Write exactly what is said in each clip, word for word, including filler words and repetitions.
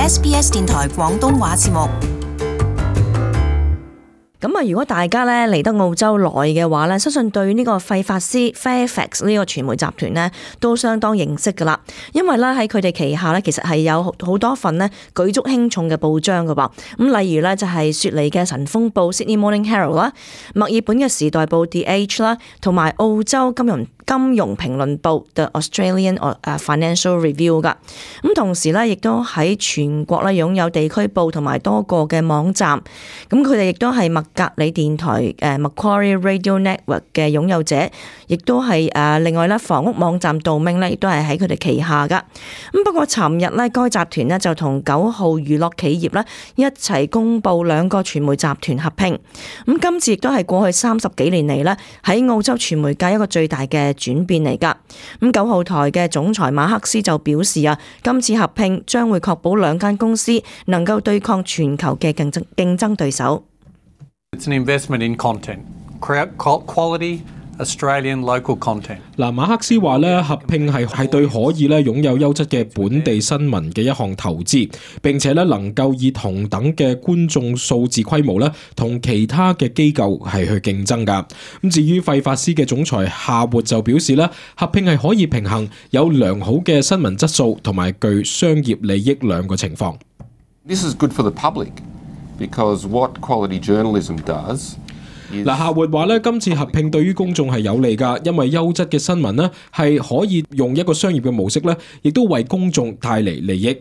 S B S 電台廣東話節目。咁啊，如果大家咧嚟得澳洲耐嘅話咧，相信對呢個費法斯 Fairfax 呢個傳媒集團咧都相當認識噶啦。因為咧喺佢哋旗下咧，其實係有好多份咧舉足輕重嘅報章噶噃。咁例如咧就係雪梨嘅晨鋒報 Sydney Morning Herald 啦，墨爾本嘅時代報 The Age 啦，同埋澳洲金融金融評論報 The Australian Financial Review 噶。咁同時咧，亦都喺全國咧擁有地區報同埋多個嘅網站。咁佢哋亦都係麥格里電台誒 Macquarie Radio Network 嘅擁有者，亦都係誒另外咧房屋網站 Domain 咧，亦都係喺佢哋旗下噶。咁不過尋日咧，該集團咧就同九號娛樂企業咧一齊公布兩個傳媒集團合併。咁今次亦都係過去三十幾年嚟咧喺澳洲傳媒界一個最大嘅轉變嚟噶。咁九號台嘅總裁馬克斯就表示啊，今次合併將會確保兩間公司能夠對抗全球嘅競爭競爭對手。It's an investment in content, quality Australian local content. 嗱，馬克思話咧，合併係係對可以咧擁有優質嘅本地新聞嘅一項投資，並且咧能夠以同等嘅觀眾數字規模咧，同其他嘅機構係去競爭噶。咁至於費法斯嘅總裁夏活就表示咧，合併係可以平衡有良好嘅新聞質素同埋具商業利益兩個情況。This is good for the public because what quality journalism does。嗱，夏活話咧，今次合併對於公眾係有利㗎，因為優質嘅新聞呢係可以用一個商業嘅模式咧，亦都為公眾帶嚟利益。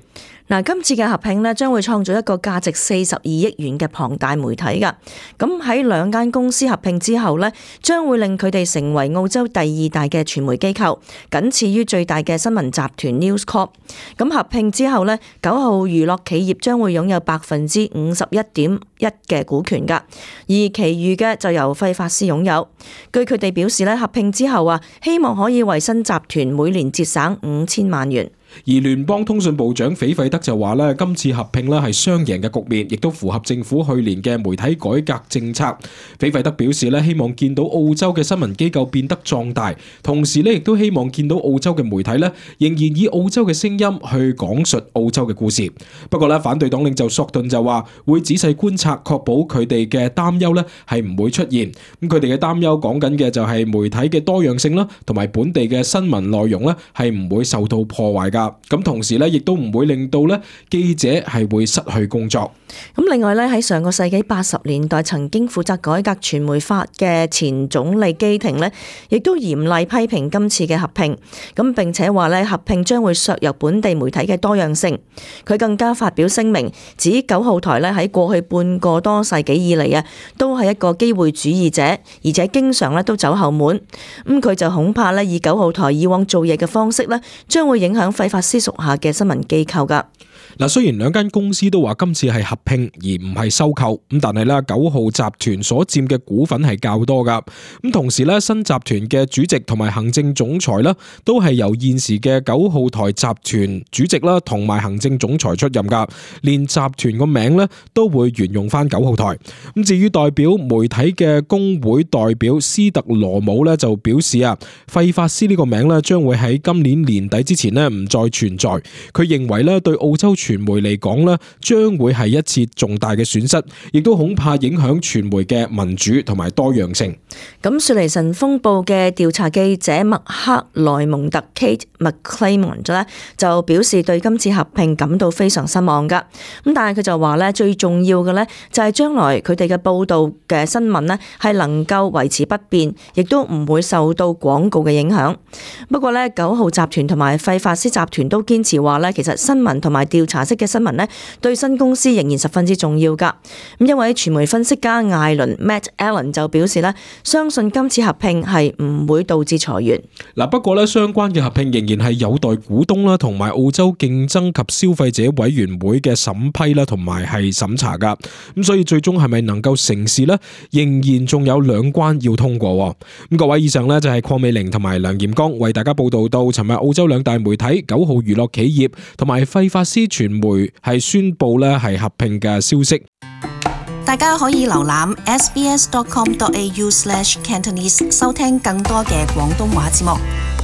嗱，今次嘅合併咧，將會創造一個價值四十二億元嘅龐大媒體㗎。咁喺兩間公司合併之後咧，將會令佢哋成為澳洲第二大嘅傳媒機構，僅次於最大嘅新聞集團 News Corp。咁合併之後咧，九號娛樂企業將會擁有百分之五十一點一嘅股權㗎，而其餘嘅就由費法斯擁有。據佢哋表示咧，合併之後啊，希望可以為新集團每年節省五千萬元。而聯邦通訊部長斐費德就話咧，今次合併咧係雙贏嘅局面，亦都符合政府去年嘅媒體改革政策。斐費德表示咧，希望見到澳洲嘅新聞機構變得壯大，同時咧亦都希望見到澳洲嘅媒體咧仍然以澳洲嘅聲音去講述澳洲嘅故事。不過咧，反對黨領袖索頓就話會仔細觀察，確保佢哋嘅擔憂咧係唔會出現。咁佢哋嘅擔憂講緊嘅就係媒體嘅多樣性啦，同埋本地嘅新聞內容咧係唔會受到破壞噶。咁同時咧，亦都唔會令到咧記者係會失去工作。咁另外咧，喺上個世紀八十年代曾經負責改革傳媒法嘅前總理基廷呢，亦都嚴厲批評今次嘅合併。咁並且話咧，合併將會削弱本地媒體嘅多樣性。佢更加發表聲明，指九號台咧喺過去半個多世紀以嚟啊，都係一個機會主義者，而且經常咧都走後門。咁佢就恐怕咧，以九號台以往做嘢嘅方式咧，將會影響費法斯屬下嘅新聞機構噶。嗱，雖然兩間公司都話今次係合併而唔係收購，咁但係咧九號集團所佔嘅股份係較多噶。咁同時咧，新集團嘅主席同埋行政總裁啦，都係由現時嘅九號台集團主席啦同埋行政總裁出任噶。連集團個名咧都會沿用翻九號台。咁至於代表媒體嘅工會代表斯特羅姆咧就表示啊，費法斯呢個名咧將會喺今年年底之前咧唔再存在。佢認為咧對澳洲傳媒嚟講咧，將會係一次重大嘅損失，亦都恐怕影響傳媒嘅民主同埋多樣性。咁雪梨晨鋒報嘅調查記者麥克萊蒙特 Kate McClymont 咧就表示對今次合併感到非常失望噶。咁但係佢就話咧，最重要嘅咧就係將來佢哋嘅報道嘅新聞咧係能夠維持不變，亦都唔會受到廣告嘅影響。不過咧，九號集團同埋費法斯集團都堅持話咧，其實新聞同埋調查式嘅新聞呢，對新公司仍然十分之重要噶。咁一位傳媒分析家艾倫 Matt Allen 就表示呢，相信今次合併係唔會導致裁員。嗱，不過呢，相關嘅合併仍然係有待股東啦，同埋澳洲競爭及消費者委員會嘅審批啦，同埋係審查噶。咁所以最終係咪能夠成事呢？仍然仲有兩關要通過。咁各位，以上呢就係鄺美玲同埋梁炎剛為大家報道到，尋日澳洲兩大媒體九號娛樂企業同埋費法斯傳媒係宣布咧係合併嘅消息。大家可以瀏覽 s b s dot com dot a u slash cantonese 收聽更多嘅廣東話節目。